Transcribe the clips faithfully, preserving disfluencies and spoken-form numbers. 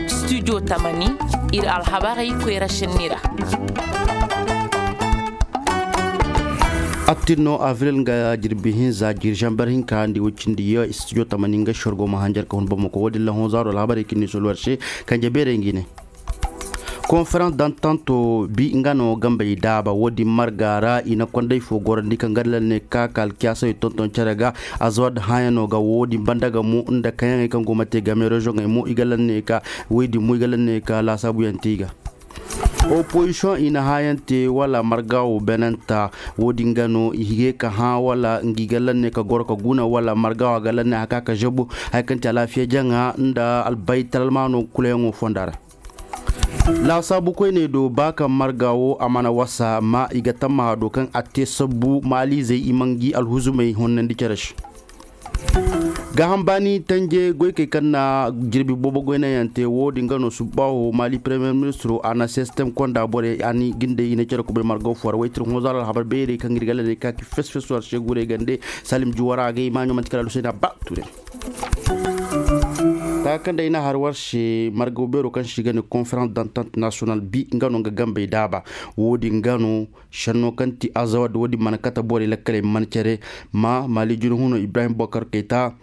Studio tamani, ir alhabarey koyra šenni ra. Attin no avril nga jirbi hinza jiri zamber hinka ndi woy cindi ya studio tamani nga sorgo ma hanjar ka hun bamako wo- din la honzaaro alhabarey ka ni soluwar se. Kanje beerey ngi ne konferans dantanto bi nga no gambey daaba wo- din marga ra i na kondey fo gorandi kaŋ ga lal ne ka ka alkiyaasawey tonton cere ga. Azawad hãyano ga wo- din banda ga mo nda kayaŋey kaŋ go ma te game rezoŋey mo i ga lal ne ka woy din mo i ga lal ne ka laasaabuyaŋ te i ga. Opozisiyoŋ i na hãyaŋ te wala marga wo beenanta. Wo- din ga no i hige ka hã wala ngi ga lal ne ka goro ka guna wala marga wo a ga lal ne haka ka zabu haya kaŋ te alaafiya jaŋa nda albaytalmaano kulayaŋo fonda ra. Laasaabu koyney do ba kaŋ marga wo a mana wasa ma i ga tammaha do kaŋ a te sabbu maaliizey i ma ngi alhuzumey honnandi cere se. Gaaham baani tanje goykey kaŋ na jirbi boobo goynayaŋ te wo- din ga no subbaaho maali premiyer ministiro a na sistem konda borey a ni gindey i na cere kubay marga wo fo ra waytir honzaaro alhabar beerey kaŋ ir ga lal ne ka ki fes fes war se guray gande. Salim juwara agay maaɲo manti kala aluseyna ba ture. Taka kaŋ day na har war se margaw beero kaŋ se i ga ne konferans dantant nasiyonal bi nga no nga gambey daaba. Wo- din ga no senno kaŋ ti azawad wo- din mana kate borey lakkaley mana cere. Ma maali juna huno ibrahim bokar kayta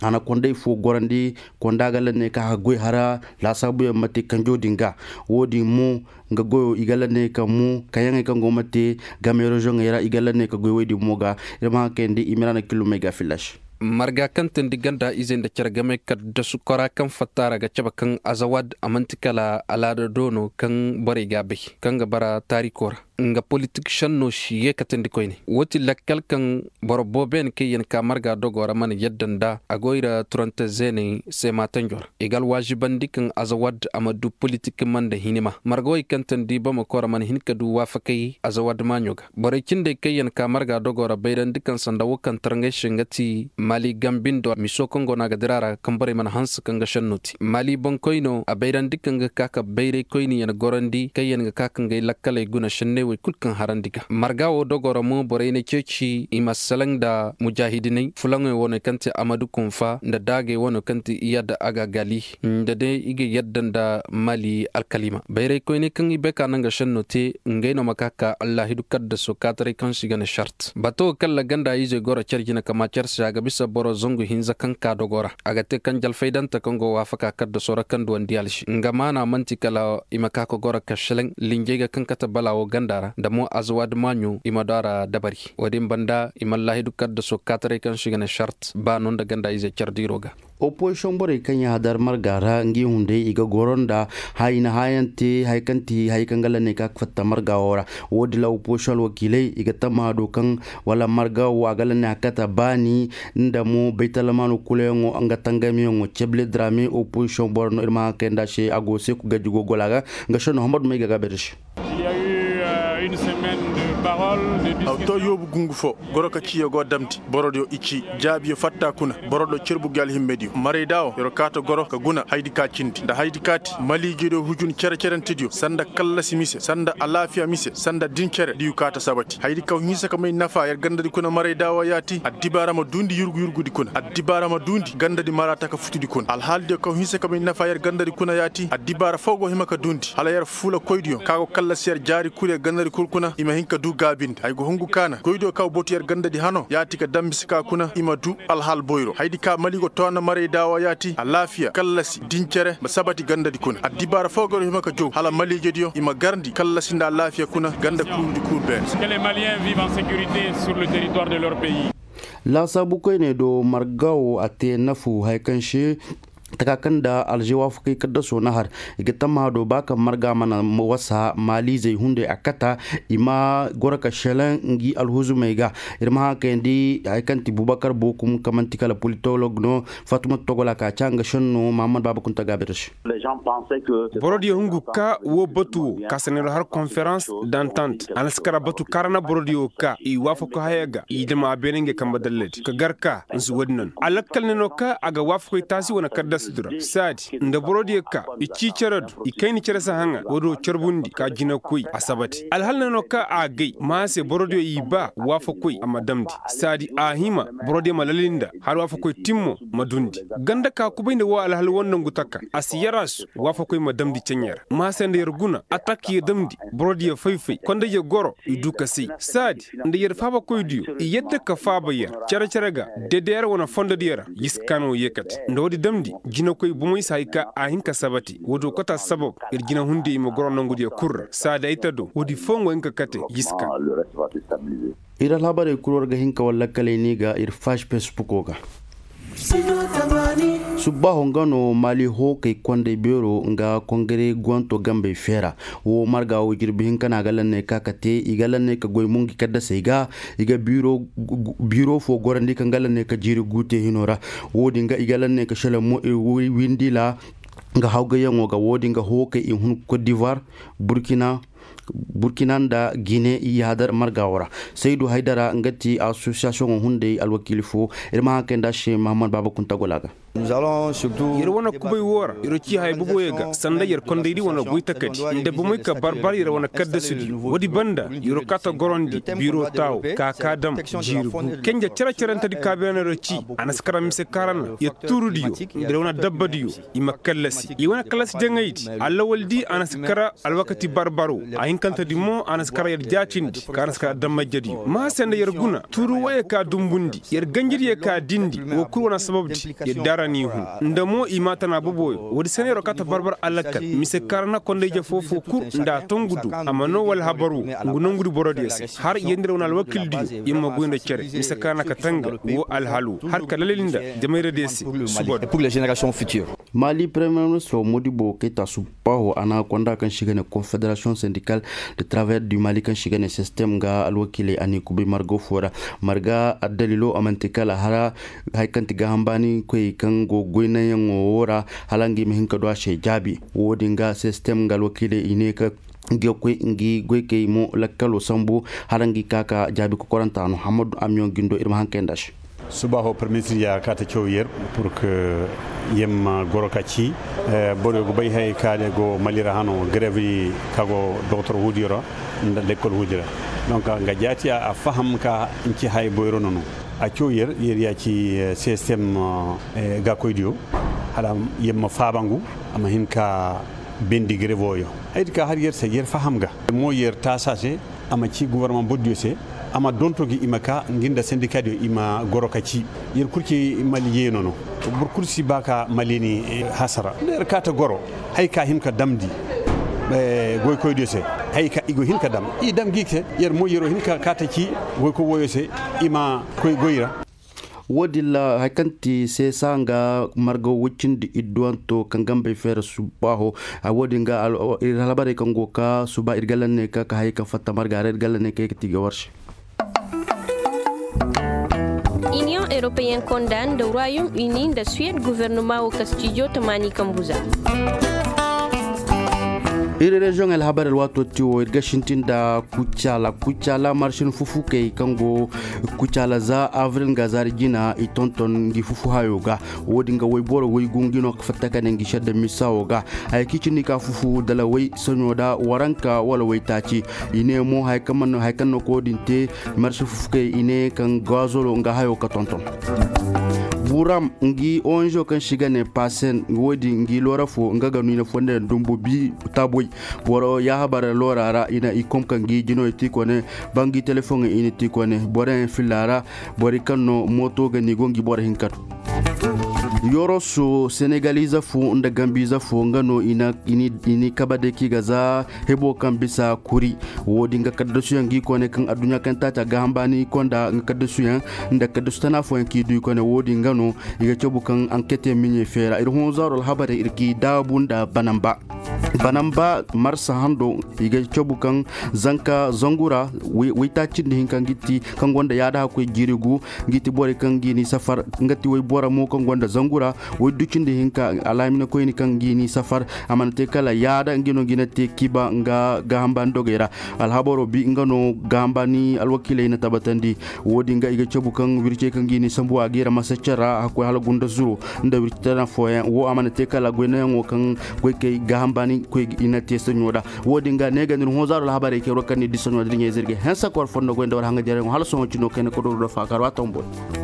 a na konday fo gorandi. Konda ga lanney kaŋ a ga goy hara laasaabuyaŋ ma te kanjo din ga. Wo- din mo nga goyo i ga lanney kaŋ mo kayaŋey kaŋ go ma te game rezoŋey ra i ga lanney ka goy woy din mo ga. Ir ma haŋ kayandi i ma ra na killumey ga fillaš. Marga kaŋ teendi ganda izey nda care game kaddasu kora kaŋ fatta ra ga cabe kaŋ azawad a man'ti kala alaada do no kaŋ borey ga bay kaŋ ga bara taariko ra. Nga politik senno si ye ka teendi koyne wo ti lakkal kaŋ boro boobo yaŋ kaŋ yaŋ ka marga dogo ra mana yadda nda a go i ra turante zeeney seema tanjo ra. I ga alwaazibandi kaŋ azawad a ma du politik ma nda hinima marga wey kaŋ teendi bamako ra mana hin ka du waafakay azawad maaɲo ga. Borey cindey kaŋ yaŋ ka marga dogo ra bayrandi kaŋ sanda wo kaŋ tarŋay se nga ti maali gambindo miso kaŋ go no a ga dira ra kaŋ borey mana hanse kaŋ ga senno te maali boŋkoyno a bayrandi kaŋ ga ka ka bayray koyni yaŋ gorandi kaŋ yaŋ ga ka ka ngey lakkaley guna senney wey kul kaŋ harandi ga marga wo dogo ra mo borey na ceeci i ma salaŋ nda mujaahidiney fulaŋey wane kaŋ ti amadu kunfa nda daagey wane kaŋ ti iyada agagali nda day i ga yadda nda maali alkaliima bayray koyney kaŋ i bay ka naŋ ga senno te. Ngey no ma ka ka allaahidu kaddaso kaataray kaŋ se i ga ne sart bato kalla ganda izey goro care jina kama care se a ga bisa boro zangu hinza kaŋ ka dogo ra a ga te kaŋ jalfaydante kaŋ go waafaka kaddaso ra kaŋ duwandi alsi nga maana man'ti kala i ma ka ka goro ka seleŋ linjey ga kaŋ kate bala wo ganda ra nda mo azawaadi maaɲo i ma du a ra dabari wo- din banda i ma allaahidu kaddaso kaataray kaŋ se i ga ne sart ba no nda ganda izey care diiro ga. Opozisiyoŋ borey kaŋ yaŋ hadar marga ra ngi hunday i ga goro nda haya i na hayaŋ te haya kaŋ ti haya kaŋ ga lanney ka fatta marga wo ra. Wo- din ra opozisiyoŋ alwakiiley i ga tamma do kaŋ wala marga wo a ga lanney hakata baani nda mo baytalamaano kulayaŋo nga tangamiyaŋo cebile drame opozisiyoŋ boro no ir ma haŋ kay nda se a go seeku gajji go gola ga. Nga senno hamadu may ga gaabe da se. Aw to yoobu gungu fo goro ka ciyo go damndi borodiyo i ci jaabiyo fatta kuna boro do cerbu gi alhimmediyo marayda wo yer kaata goro ka guna haydi ka cindi nda haydi kaati maliijediyo hujun cere-cerentediyo sanda kallasi mise sanda alaafiya mise sanda din cere diyu kaata sabati haydi kaw hinsa ka may nafa yer gandadi kuna marayda wo yaati addibaara ma duundi yurgu-yurgudi kuna addibaara ma duundi gandadi maraata ka futudi kuna alhaaldiyo kaw hinsa ka may nafa yer gandadi kuna yaati addibaara foo go hima ka duundi hala yer fuula koydiyo ka go kallasi yer jaari kul yer gandadi kul kuna i ma hin ka duu gaabindi ay go hungu kaana goydiyo ka go botu yer gandadi hano yaati ka dambisa ka kuna i ma duu alhal boyro haydi ka mali go toona maray daawa yaati alaafiya kallasi din cere ma sabati gandadi kuna addibaara foo go yer hima ka jow hala maliijediyo i ma garndi kallasi nda alaafiya kuna ganda kuurudi kul beene. Laasaabu koyney do marga wo a te nafu haya kaŋ se taka kaŋ nda alze waafakey kaddasoo na har i ga tammaha do ba kaŋ marga mana wasa maaliizey hunday a kata i ma goro ka selaŋ ngi alhuzumey ga. Ir ma haŋ kayandi haya kaŋ ti bubakar bookum kaŋ man'ti kala politolog no fatumata togola ka ca nga senno mahamad baaba kunta gaabir se. Borodiyo hungu ka wo batu wo ka sanay do har konferans dantant a na si kara batu kaara na borodiyo ka i waafako haya ga i dama a beene ngey kambe dalladi ka gar ka nsi wo- din no a lakkal ne no ka a ga waafakoy taasi wane kaddas. Saadi nda borodiyo ka i cii cere do i kayni cere si haŋa woodiyo carbundi ka jinakoy a sabati alhal ne no ka a gay ma a se borodiyo i ba waafakoy a ma damndi. Saadi a hima borodiyo ma lalinda har waafakoy timmo ma dundi. Ganda ka kubay nda woo alhal woo nongu taka a si yar a su waafakoy ma damndi ceɲe ra ma a se nda yer guna atak yer damndi borodiyo fay-fay kondayyo goro i du ka say. Saadi nda yer faabakoydiyo i yadda ka faaba yer cere-cere ga. Dedeyer wane fondodiyo ra yiskaan wo yeekate nda woodi damndi jinakoy bomey si hay ka a hin ka sabati woodiyo kate assabab ir jinahundiyo i ma goro nongudiyo kul ra saadi ay ta do woodi fooyaŋ go hin ka kate yiskaan. Ir alhabarey kul war ga hin ka war lakkaley ni ga ir faaz fesbuko ga. Subbaaho nga no maali hookey kondey beero nga kongare guwanto gambey feera. Woo marga woo jirbi hinka no a ga lanney ka ka te i ga lanney ka goy mo ngi kaddasey ga. I ga biiro foo gorandi kaŋ ga lanney ka jiiri guute hino ra. Woo din ga i ga lanney ka šelaŋ mo ir windila. Nga hawgayyaŋo ga woo din ga hookey i hun kot divoir, burkina burkina nda gine i hadar marga woo ra. Saydu haydara nga ti asosiyasiyoŋo hunday alwakiili foo. Ir ma haŋ kay nda a se mahammad baaba kunta gola ga. Yer wane kubay woo ra yer cii haya boboyo ga sanda yer kondaydi wane goy takadi nda bomey ka barbar yer wane kaddasudiyo woodi banda yer kaa ta gorandi biiro taawo ka kaa dam jiiri gu kenja cere-cerentedi ka beene yer cii. A na si kara mise kaarana yer tuurudiyo nda yer wane dabbadiyo i ma kallasi i wane kallasi jaŋaydi. Allawaldi a na si kara alwakati barbaro. Ahinkantedi mo a na si kara yer jaatindi ka a na si kara dammayjediyo ma a se nda yer guna tuuru woyey ka dumbundi yer ganjidiyo ka dindi woo kul wane sababdi. Yer daara n'i hun nda mo i maa tana boboyo woodi se no yer wo kaa ta barbar alakal mise kaarana kondayje foo-foo kul nda a tongu do a ma noo wala habar woo ngu nongudi borodiyo se har yer nda yer wane alwakildiyo yer ma goy nda cere mise kaarana ka tanga woo alhal woo har ka lalil nda jamayradiyo se. Subado. Maali premiyer ministiroo modibo kayta subbaaho a na konda kaŋ se i ga ne konfederasiyoŋ sendikal de travayer du mali kaŋ se i ga ne sistem nga alwakiiley a n'i kubay marga foo ra. Marga addaliloo a man'ti kala hara haya kaŋ ti gaaham baani koyey kaŋ go goy naŋyaŋo woo ra hala nga i ma hin ka du a se jaabi. Woo din ga sistem nga alwakiiley i ne ka ngi ga koy ngi goykey mo lakkaloo sambu hala ngi ka ka jaabi kokoranta no hammadu amiyoŋ gindo ir ma haŋ kay nda a se. Suba ho permitir ya ka ta caw yer pur ka yer ma goro ka ci. Boro go bay hay ka de go mali ra hano grevi ka go doktor hudiyo ra nda lekkol hudiyo ra. Donc nga jaati a faham ka nci hay boyro nono a caw yer yer ya ci system ga koydiyo hala yer ma fabangu a ma hin ka bendi grevo yo. Ay di ka har yer se yer faham ga mo yer tasa se a ma ci gouvernement boddiyo se a ma donto gi i ma ka ngi nda sendikadiyo i ma goro ka ci. Yer kul ci mali yeeno no boro kul si ba ka mali ni hasara nda yer ka ta goro hay ka hin ka damndi goykoydiyo se hay ka i go hin ka dam i dam gi se. Yer mo yer wo hin ka ka ta ci goykoy woyo se i ma koy goy ra. Wo-din ra hari kaŋ ti seesa nga marga woy cindi idduwanto kaŋ ga mbay feera subbaaho. Wo-din ga ir alhabarey kaŋ go ka suba ir ga lanney ka ka hayey kaŋ fatta marga ra ir ga lanney ka ye ka ti ga war se. Iniyoŋ europeyen konda nda royaume uni nda suwed guvernoma wo ka stijo tamaani kambu za. Ir reziyoŋ alhabar alwaato ti wo ir ga sintin nda kucaala kucaala marsin fufukey kaŋ go kucaala za avril nga zaari jina i tonton ngi fufu hayo ga. Wo-din ga wayboro waygu ngi no ka fatta ka ne ngi sedda misa wo ga. Haya kaŋ i cindi ka fufu dala way soɲo da waranka wala waytaaci. I ne mo haya kaŋ no ka wo-din te marsin fufukey i ne kaŋ gazolo nga hayo ka tonton. Buram ngi onzo kaŋ se i ga ne pasen wo-din ngi loora fo nga ga no i na fonda yaŋ dumbu bi taaboy. Boro yaahabar loora ra i na i kom ka ngi jinoy ti kone. Ba ngi telefoŋey i na ti kone boroyaŋ filla ra. Borey kaŋ no mooto ga ni go ngi boro hinka do. Yoroso senegalize fo nda gambize fo nga no i ni kabe day kaŋ i ga za hebo kaŋ bisa kuri. Wo-din ga kaddasuyaŋ ga i kone kaŋ adduɲɲa kaŋ taaca gaaham baani i konda nga kaddasuyaŋ nda kaddasu tana fooyaŋ kaŋ i du i kone wo-din ga no i ga cabu kaŋ anketey miɲey feera ir hõ zaaro alhabarey ir ga i daabu nda banamba. Banamba marsa hando i ga cabu kaŋ zanka zangu ra waytaaci nda hinka ngi ti kaŋ gonda yaada hakkoy jiiri gu. Ngi ti borey kaŋ ngi ni safar nga ti waybora mo kaŋ gonda zangu. Ra woodi du cindi hinka alhaminkoyni kaŋ ngi n'i safar. A mana te kala yaada ngi no ngi na te kiba nga gaahambani dogey ra. Alhabaro bi nga no gaahambani alwakiiley na tabatandi. Woodi nga i ga cabu kaŋ wircey kaŋ ngi n'i sambu a ga i ra masaccen ra a koy hala gunda zuro nda wirci tana fooyaŋ wo a mana te kala goynayaŋo kaŋ goykey gaahambani koy i na te saɲo ra. Woodi nga ne ga nir hoozaaro alhabarey kay war kaŋ ni di saɲo da diɲey zirgey hensa ka war fondo goy nda war haŋajerey hala sohõ cino kayna ka doro do faakar waataŋ boy.